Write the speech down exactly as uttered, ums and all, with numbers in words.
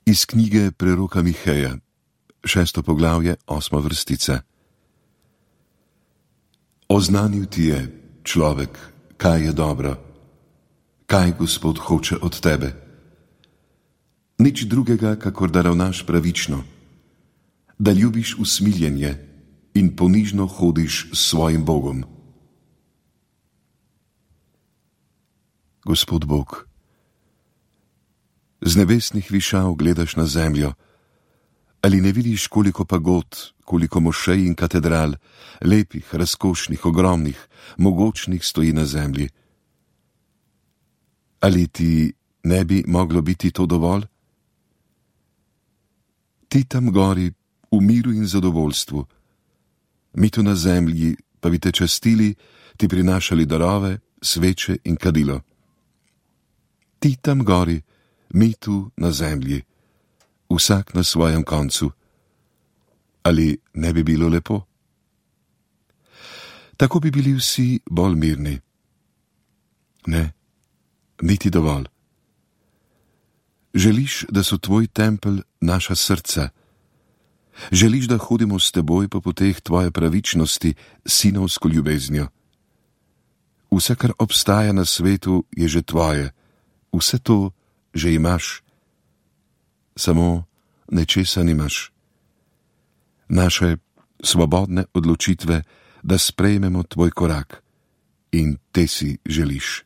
Iz knjige preroka Miheja, šesto poglavje, osma vrstica. Oznanil ti je, človek, kaj je dobro, kaj Gospod hoče od tebe. Nič drugega, kakor da ravnaš pravično, da ljubiš usmiljenje in ponižno hodiš s svojim Bogom. Gospod Bog, z nebesnih višav gledaš na zemljo, ali ne vidiš, koliko pagod, koliko mošej in katedral, lepih, razkošnih, ogromnih, mogočnih stoji na zemlji? Ali ti ne bi moglo biti to dovolj? Ti tam gori v miru in zadovoljstvu, mi tu na zemlji pa bi te častili, ti prinašali darove, sveče in kadilo. Ti tam gori, mi tu na zemlji, vsak na svojem koncu. Ali ne bi bilo lepo? Tako bi bili vsi bolj mirni. Ne, niti dovolj. Želiš, da so tvoj tempelj naša srca. Želiš, da hodimo s teboj po poteh tvoje pravičnosti, sinovsko ljubeznijo. Vse, kar obstaja na svetu, je že tvoje. Vse to že imaš. Samo nečesa nimaš. Naše svobodne odločitve, da sprejmemo tvoj korak, in te si želiš.